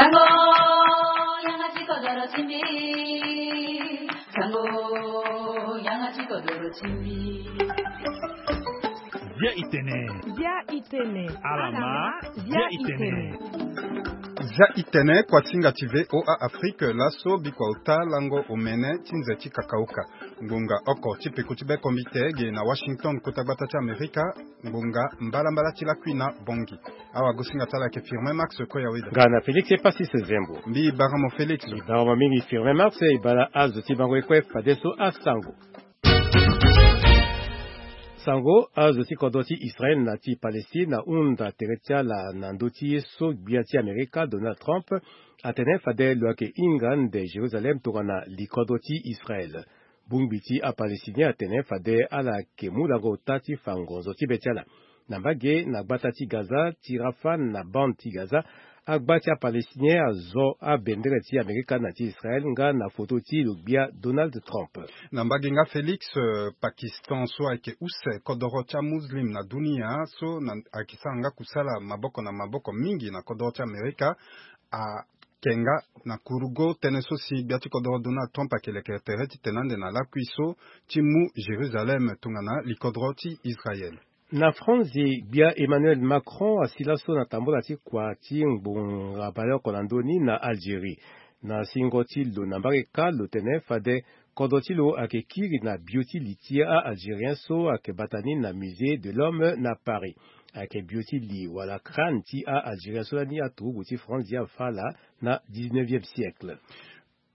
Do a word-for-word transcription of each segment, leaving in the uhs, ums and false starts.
Sango, yanga ti kodoro ti mbi. Sango, yanga ti kodoro ti mbi. Bia itene. Bia itene. Alama, bia itene. Bia itene. Kuasinga ti V O A Afrique, laso bikua ota lango omene ti nze ti kakauka. Ngbonga oko ti peko ti be komite ge na Washington, kota gbata ti Amerika. Ngbonga mbalambala ti lakui na Bongi. Awagosinga ti ala ayeke Firmin Max Koyaweda. Nga na Félix Epasis Zembo. Mbi bara mo Félix. Mbi bara mo mingi Firmin Max, e bara azo ti bango ye kue fadeso asango. Sango, azo ti kodro ti Israel na ti Palestine ahunda tere ti ala na ndö ti ye so gbia ti Amerika Donald Trump atene fade lo yeke hinga nde Jérusalem tongana likodro ti Israel. Bongbi ti aPalestinien atene fade ala yeke mu lango ota ti fa ngonzo ti be ti ala. Na mbage na gbata ti Gaza, ti Rafah na bande ti Gaza, agba ti aPalestinien azo abendere ti Amerika na ti Israel nga na foto ti lo gbia Donald Trump. Na mbage nga Félix, euh, Pakistan so ayeke use kodoro ti aMuslim na dunia so na, ayeke sara nga kusala maboko na maboko mingi na kodoro ti Amerika, a, Kenga na kurugo tënë so si gbia ti kodoro Donald Trump ayeke leke tere titene ande na lakui so ti mu Jérusalem tongana likodoro ti Israel. Na Franzi, gbia Emmanuel Macron asi laso na tambula ti kua ti ngbonga baleoko na ndö ni na Algérie. Na singo ti lo na mbage kâ lo tene fade kodro ti lo ayeke kiri na bio ti li ti a-Algérien so ayeke bata ni na Musée de l'Homme na Paris. Ayeke bio ti li wala crâne ti a-Algérien so lani aturugu ti Franzi afa ala na dix-neuvième siècle.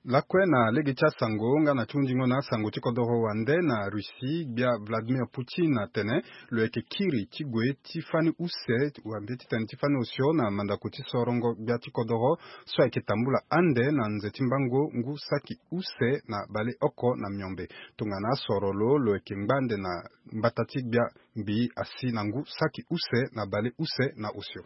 Lakue na lege ti asango nga na ti hunzingo na asango ti kodoro wande na Russie, gbia Vladimir Poutine atene lo yeke kiri ti gue ti fani use wala mbi titene ti fani osio na mandako ti sorongo gbia ti kodoro so ayeke tambula ande na nze ti mbango ngu saki use na baleoko na miombe. Tongana asoro lo, lo yeke ngba ande na mbata ti gbia mbi asi na ngu saki use na baleuse na osio.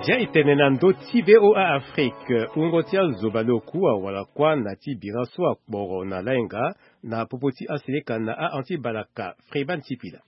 Zia e tene na ndö ti V O A Afrique, wungo ti azo baleoku awara kuâ na ti bira so akporo na lainga na popo ti aseleka na a-anti balaka. Freeman Sipila.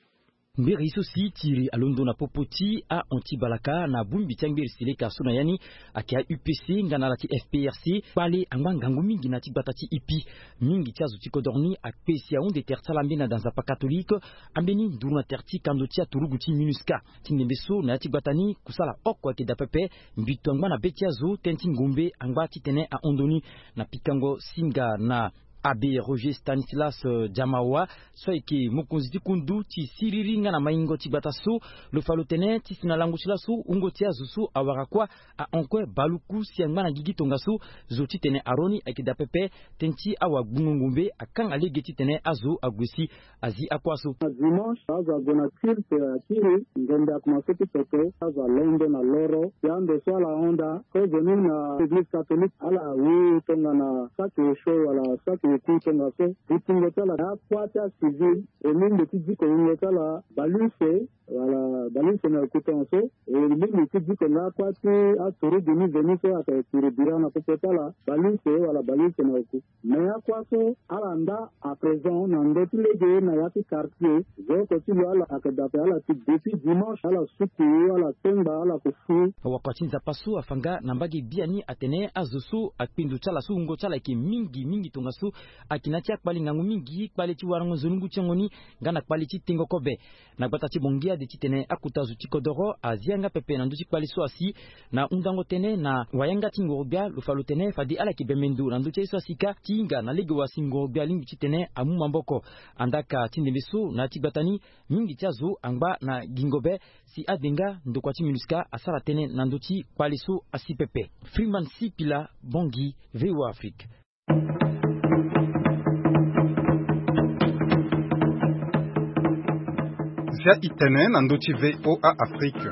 Mberi so si tiri alondo na popo ti a-anti balaka na bongbi ti angeri seleka so na ya ni ayeke a-U P C nga na ala ti F P R C, kpale angba ngangu mingi na ti gbata ti ipi. Mingi ti azo ti kodoro ni akpe si ahunde tere ti ala ambeni na da nzapa katolike, ambeni nduru na tere ti kando ti aturugu ti MINUSCA. Ti ndembe so na ya ti gbata ni kusala oko ayeke daa pepe. Mbito angba na be ti azo tënë ti ngombe angba titene ahon ndoni na pikango singa na Abbé Roger Stanislas, euh, Diamawa, so ayeke mokonzi ti kundu ti siriri nga na maingo ti gbata so. Lo fa lo tene ti si na lango ti laso wungo ti azo so awara kuâ ahon kue baluku si angba na gigi tongaso. Zo titene aroni ayeke daa pepe. Tënë ti awagbungo ngombe akanga lege titene azo ague si azi akuâ so. Na dimanche azo ague na culte akiri, ngonda akomanse ti toto, azo alondo na loro si ande so ala hon daa. Kozoni na église catholique ala wu tongana saki osio wala saki oku tongaso. Butingo ti ala akuâ ti acivil, e lingbi ti diko wungo ti ala baleuse wala baleuse na oku tongaso. E lingbi ti diko nga akuâ ti aturugu ni veni so ayeke tiri bira na popo ti ala baleuse wala baleuse na oku. Mais akuâ so ala nda à présent na ndö ti lege na ya ti quartier. Zo oko ti lo ala ayeke dape ala ti depuis dimanche ala suku ala tengba ala ko fu. Wakua ti Nzapa so afa nga na mbage biani atene azo so akpinzo ti ala so wungo ti ala ayeke mingi mingi tongaso ayeke na ya ti akpale ngangu mingi, kpale ti warango nzoni ngu ti yango ni nga na kpale ti tengo kobe. Na gbata ti Bongi ade titene akota zo ti kodoro azi yanga pepe na ndö ti kpale so asi. Na hundango tënë na wayanga ti ngorogbia lo fa lo tene fade ala yeke bembe ndo na ndö ti aye so asi kâ ti hinga na lege wa si ngorogbia alingbi titene amu maboko. Andaka ti ndembe so na ya ti gbata ni mingi ti azo angba na gingo be si ade nga ndokua ti MINUSCA asara tënë na ndö ti kpale so asi pepe. Freeman Sipila, Bongi, V O A Afrique. Zia itene na ndö ti V O A Afrique.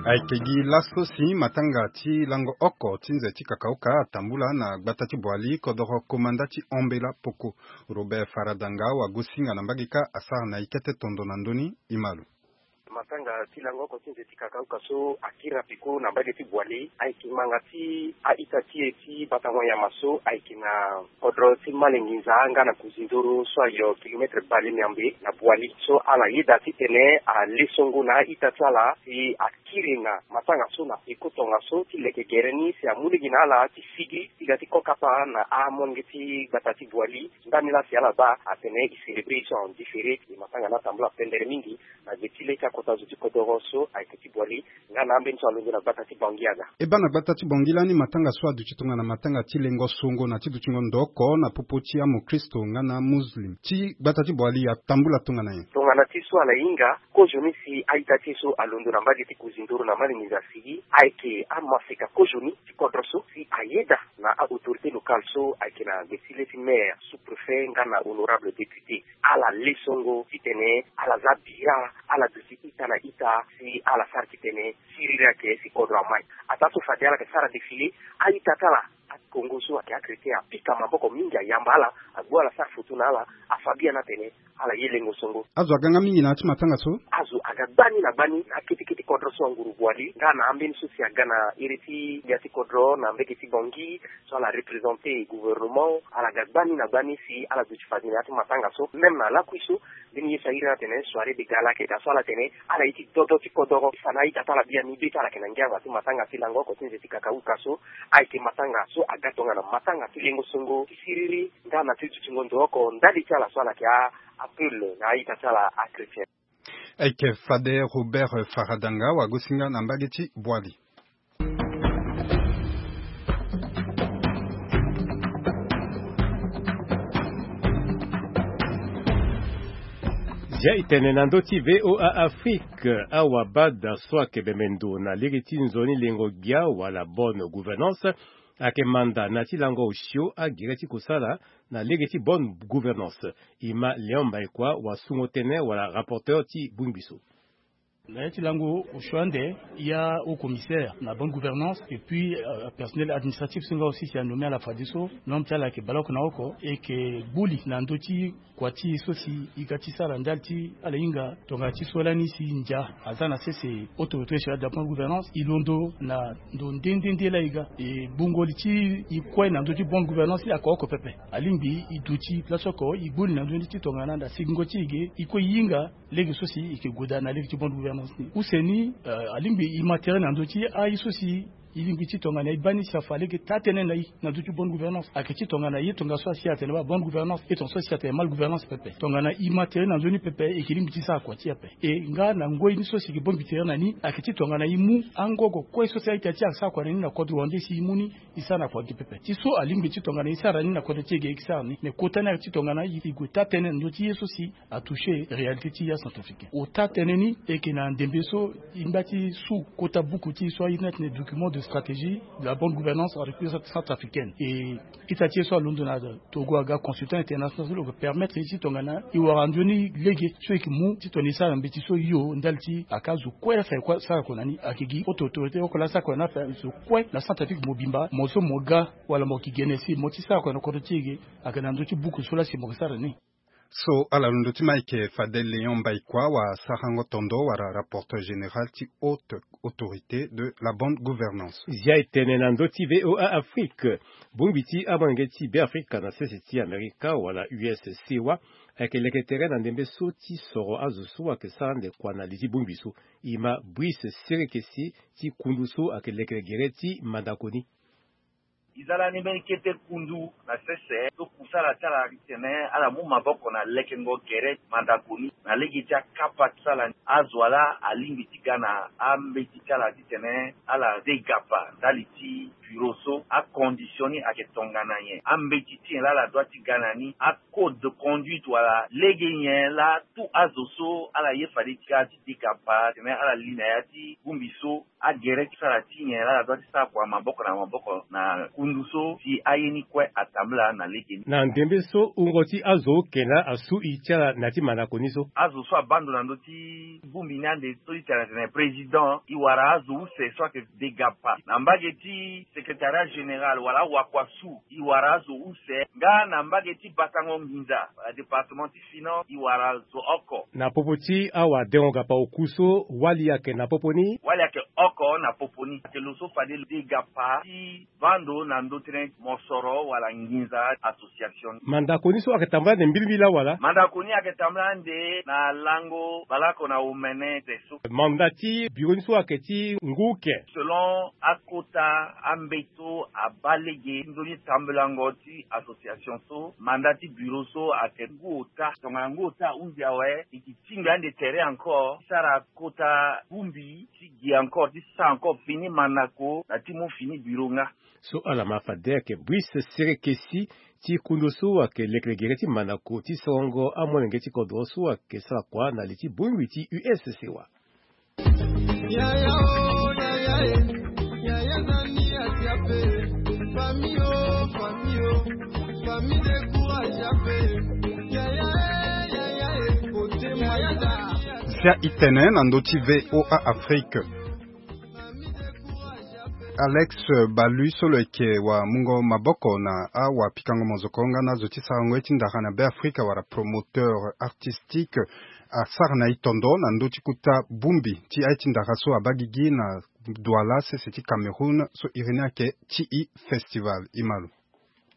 Ayeke gi laso si matanga ti lango oko ti nze ti kakauka atambula na gbata ti Boali kodoro komanda ti Ombela Poko. Robert Faradanga wagosinga na mbage kâ asara na e kete tondo na ndö ni. E ma lo. Matanga ti lango oko ti nze ti kakauka so akiri na peko na mbage ti Boali ayeke ngbanga ti a-ita ti e ti bata mo nyama so ayeke na kodro ti Malinginza nga na Kuzindoro so ayo kilometre bale miambe na Boali so ala yeda titene ale songo na a-ita ti ala si akiri na matanga so na peko tongaso ti leke gere ni si amu lege na ala ti sigi ti ga ti kokapa na amolenge ti gbata ti Boali. Ndani laa si ala baa atene e célébrer e so en différé. E matanga ni atambula pendere mingi na gbe ti le ti akota zo ti kodoro so ayeke ti Boali nga na ambeni so alondo na gbata ti Bangui aga. E baa na gbata ti Bangui lani matanga so aduti tongana matanga ti lengo songo na ti dutingo ndo oko na popo ti amokristo nga na amuslim ti gbata ti Boali atambula tongana nyen? Tongana ti so ala hinga kozoni si a-ita ti e so alondo na mbage ti Kuzindoro na Malinginza si ayeke amaseka kozoni ti kodro so si ayeda na a-autorité locale so ayeke na gbe ti le ti maire, sous-préfet nga na honorable député. Ala le songo titene ala za bira, ala duti ita na ita si ala sara titene siriri ayeke si kodro amai. Ataa so fade ala yeke sara défilé, a-ita ti ala akongo so ayeke achrétien apika maboko mingi ayamba ala, agbu ala sara foto na ala, afa biani atene ala ye lengo songo. Azo aga nga mingi na ya ti matanga so? Azo aga gbani na gbani na akete kete kodro so anguru Boali nga na ambeni so si aga na iri ti gbia ti kodro na mbage ti Bangui so ala représenter gouvernement. Ala ga gbani na gbani si ala duti fade na ya ti matanga so. Même na lakui so mbeni ye so ahiri ni atene soirée de gala ayeke daa so ala tene ala ye ti dodo ti kodoro. Fa na a-ita ti ala biani be ti ala yeke na ngia na ya ti matanga ti lango oko ti nze ti kakauka so ayeke matanga so aga tongana matanga ti lengo songo ti siriri nga na ti dutingo ndo oko ndali ti ala so ala yeke a-, appeler na a-ita ti ala achrétien. Ayeke fade Robert Faradanga wagosinga na mbage ti Boali. Zia e tene na ndö ti V O A Afrique, awabada so ayeke bembe ndo na lege ti nzoni lengo gbia wala bonne gouvernance ayeke manda na ya ti lango osio agere ti kosala na lege ti bonne gouvernance. E ma Léon Mbaïkoi wasungo tënë wala rapporteur ti bongbi so. Na ya ti lango osio ande, ya haut commissaire na bonne gouvernance et puis euh, personnel administratif so nga aussi si anommé ala fadeso, nombre ti ala ayeke baleoko na oko, e yeke gbu li na ndö ti kua ti e so si e ga ti sara ndali ti ala hinga tongana ti so lani si ndia aza na sese autorité régionale de la bonne gouvernance, e londo na ndo nde nde nde laa e ga. E gbungo li ti e kue na ndö ti bonne gouvernance ayeke oko pepe. Alingbi e duti place oko e gbu li na ndö ni ti tongana na sigingo ti e ge e kue e hinga lege so si e yeke gue daa na lege ti bonne gouvernance ni. Use ni, euh, alingbi e ma tere na ndö ti aye so si e lingbi ti tongana e baa ni si afa lege taa-tënë na e na ndö ti bonne gouvernance. Ayeke ti tongana ye tongaso asi atene baa bonne gouvernance, e tongaso asi atene mal gouvernance pepe. Tongana e ma tere na nzoni pepe, e yeke lingbi ti sara kua ti e ape. E nga na ngoi ni so si e yeke bongbi tere na ni, ayeke ti tongana e mu angogo kue so si a-ita ti e asara kua na ni na kodro wande si e mu ni, e sara na kua ge pepe. Ti so alingbi ti tongana e sara ni na kodro ti e ge, e yeke sara ni. Mais kota ni ayeke ti tongana e gue taa-tënë na ndö ti ye so si atoucher réalité ti ya centrafricain. Ota tënë ni e yeke na ndembe so e ngba ti su kota buku ti e so a iri ni atene document de stratégie de la bonne gouvernance en République centrafricaine. E ita ti e so alondo na Togo aga consultant international so lo yeke permettre e ti tongana e wara nzoni lege so e yeke mu ti tongana e sara na mbeti so hio ndali ti aka zo kue laa fa e sara kua na ni. Ayeke gi auto autorité oko laa sara kua na ni afa zo kue na Centrafrique mobimba, mo so mo ga wala mo yeke gene si mo ti sara kua na kodro ti e ge, ayeke na ndö ti buku so laa si mo yeke sara ni. So ala londo ti Mike Fadel Léon Mbaïkoi wa sarango tondo wala rapporteur général ti haute autorité de la bonne gouvernance. Zia e tene na ndö ti V O A Afrique. Bongbi ti amolenge ti Beafrika na sese ti Amerika wala U S C wa ayeke leke tere na ndembe so ti soro azo so ayeke sara ande kua na li ti bongbi so. E ma Brice Serekesi ti kundu so ayeke leke gere ti mandako ni. E za lani mbeni kete kundu na sese so kusala ti ala titene ala mu maboko na lekengo gere mandako ni na lege ti akapa ti sala ni. Azo wa laa alingbi ti ga na ambeti ti ala titene ala degapa ndali ti biro so acondition ni ayeke tongana nyen, ambeti ti nyen laa ala dua ti ga na ni, acode de conduite wala lege nyen laa tout azo so ala ye fade ti ga ti degapa titene ala li na ya ti bongbi so. Agere ti sara ti nyen laa ala dua ti sara kua maboko na maboko na Kundu so si aye ni kue atambula na lege ni. Na ndembe so wungo ti azo oke na asu e ti ala na ya ti mandako ni so. Azo so abaa ndo na ndö ti bongbi ni ande so e ti tene atene président, e wara azo use so ayeke degapa na mbage ti secrétariat général wala awakua su, e wara azo use nga na mbage ti batango nginza wala département ti finance, e wara zo oko. Na popo ti awadengo gapa oku so, wali ayeke na popo ni. Wali ayeke oko na popo ni, ayeke lo so fade lo degapa ti vaa ndo na ndö tënë mosoro wala nginza association. Mandako ni so ayeke tambula ande mbilimbili laa wala? Mandako ni ayeke tambula ande na lango baleoko na omene te so. Manda ti biro ni so ayeke ti ngu uke. Selon akota ambeto abaa lege ti nzoni tambulango ti association so, manda ti biro so ayeke ngu ota. Tongana ngu ota ahunzi awe, e yeke ti tinga ande tere encore ti sara kota bongbi ti gi encore ti sara encore fini mandako na ti mu fini biro nga. So ala ma fade ayeke Brice Serekesi ti kundu so ayeke lekelekere ti mandako ti sorongo amolenge ti kodro so ayeke sara kua na li ti bongbi ti U S C wa. Sia itene na ndö ti V O A Afrique. Alex Balu so lo yeke wa mungo maboko na awapikango mozoko nga na azo ti sarango ye ti ndara na Beafrika wala promoteur artistique, asara na e tondo na ndö ti kota bongbi ti aye ti ndara so abaa gigi na Douala sese ti Cameroun so iri ni ayeke T I Festival. E ma lo.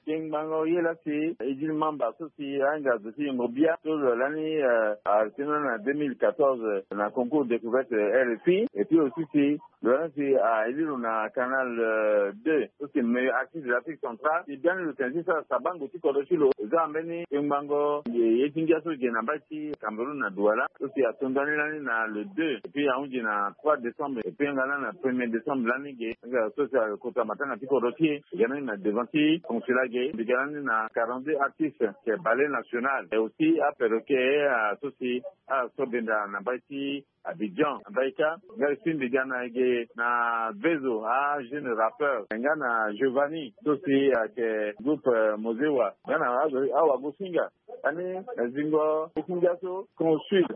Tengbango ye laa si Edil Mamba so si ahinga zo ti yengo bia so lo lani, eh, atene na deux mille quatorze na concours découverte R F I, et puis aussi si lo lani si, ah, aye lo na Canal, euh, deux so si meilleur artiste de l'Afrique centrale. Si biani lo tene ti sara sabango ti kodro ti lo, e za mbeni tengbango ye ti ngia so ge na mbage ti Cameroun na Douala so si ato ndani lani na le deux, et puis ahunzi na trois décembre, et puis nga lani na premier décembre lani ge nga so si akota matanga ti kodro ti e. Ga ni na devant ti consulat ge, mbi ga ni na quarante-deux artistes, c'est ballet national. Et aussi aperroquet, ah, so si asobenda na mbage ti Abidjan, na mbage ka. Nga si mbi ga na ge na Vezo, ah, jeune rappeur. Nga na Giovanni, so si ayeke groupe, euh, Mozewa. Nga na azo, awagosinga. Ani, eh, zingo, e ti ngia so, consul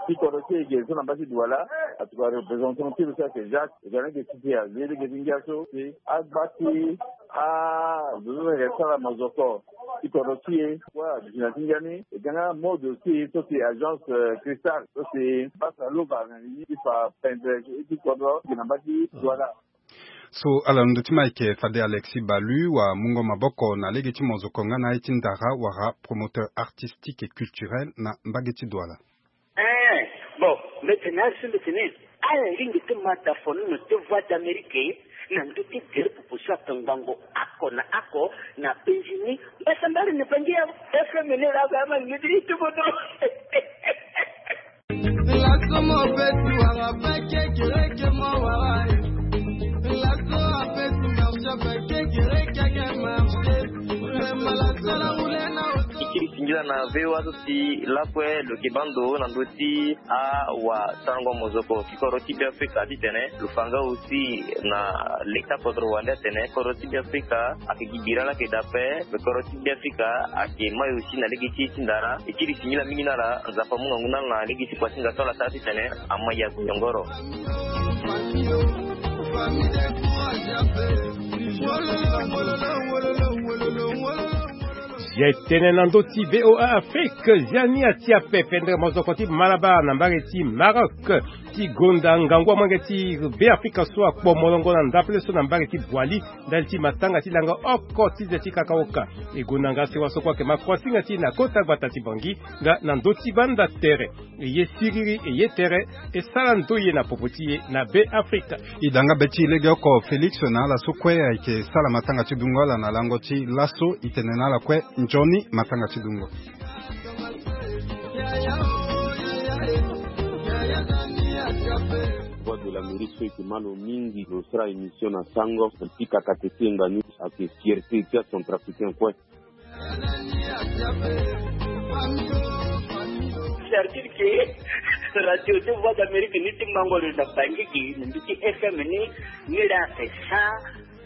ti kodro ti e ge so na mbage ti Douala, atuka représentant ti lo so ayeke Jacques, e ga na ge ti ti azi lege ti ngia so, si agba ti, ah, zo so ayeke sara mozoko ti kodro ti e, wa, aduti na ti ngia ni, e ga nga mode aussi, so si agence, euh, Cristal, so si basa lova na ni ti fa pendre ti kodro, ti na mbage ti Douala. So ala na ndö ti ma ayeke fade Alexis Balu wa mungo maboko na lege ti mozoko nga na aye ti ndara wala promoteur artistique et culturel na mbage ti Douala. Eh, bon, mbi tene azo so mbi tene ala lingbi ti ma dafono na ti Voix d'Amérique na ndö ti gere popo so atongbango oko na oko na penzi ni. Mbasambari na bangi ya F M ni laa ba ama lingbi ti tubono. Laso mo beti wara bake kereke mo wara e. Laso a beti marcha bake kereke ake marche. Mema laso la wule na oto. E kiri singila na V O A so si lakue lo yeke baa ndo na ndö ti awasarango mozoko ti kodro ti Beafrika titene lo fa nga aussi na leta kodro wande atene kodro ti Beafrika ayeke gi bira laa ayeke daa ape. Kodro ti Beafrika ayeke mai aussi na lege ti e ti ndara. E kiri singila mingi na ala, Nzapa amu ngangu na ala na lege ti kua ti hinga so ala sara titene ama yaku nyongoro. Si aye tene na ndö ti V O A Afrique, zia ni atia pepe ndere mozoko ti Malabar na mbage ti Maroc. Ti gonda ngangu amolenge ti Beafrika so akpo molongo na ndapele so na mbage ti Boali ndali ti matanga ti langa oko ti ze ti kakaoka. E gonda nga sewa so kue ayeke ma kuasinga ti e na kota gbata ti Bangui nga na ndö ti banda tere. E ye siriri, e ye tere, e sara ndoye na popo ti e na Beafrika. E da nga be ti e legeoko Félix na ala so kue ayeke sara matanga ti dungo ala na lango ti laso. E tene na ala kue nzoni matanga ti dungo. Voix de l'Amérique so e yeke ma lo mingi lo sara émission na sango na pika katete nga ni ayeke fierté ti acentrafricain kue. C'est-à-dire que radio ti Voix d'Amérique ni ti mango lo na Bangui gi na mbi ti F M ni, ni la esa,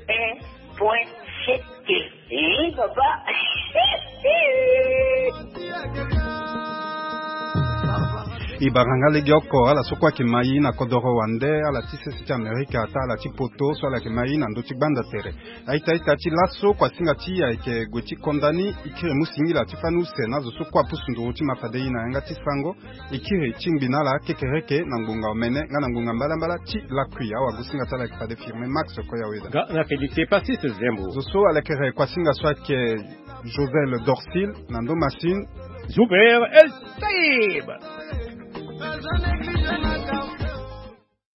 eh, Point. Sete. Eh, baba. E bara nga legeoko ala so kue ayeke ma e na kodoro wande, ala ti sese ti Amerika, ata ala ti poto so ala yeke ma e na ndö ti gbanda tere. Aita aita ti laso kua singa ti e ayeke gue ti konda ni. E kiri mu singila ti fani use na azo so kue apusu nduru ti ma fade e na yanga ti sango. E kiri ti ngbi na ala kekereke na ngbonga omene nga na ngbonga mbalambala ti lakui. Awagosinga ti ala ayeke fade Firme Max Koyaweda. Nga na Félicité Passis Zembo. Zo so alekere kuasinga so ayeke Josel Dorsil na ndo masine. Zuber El Saib.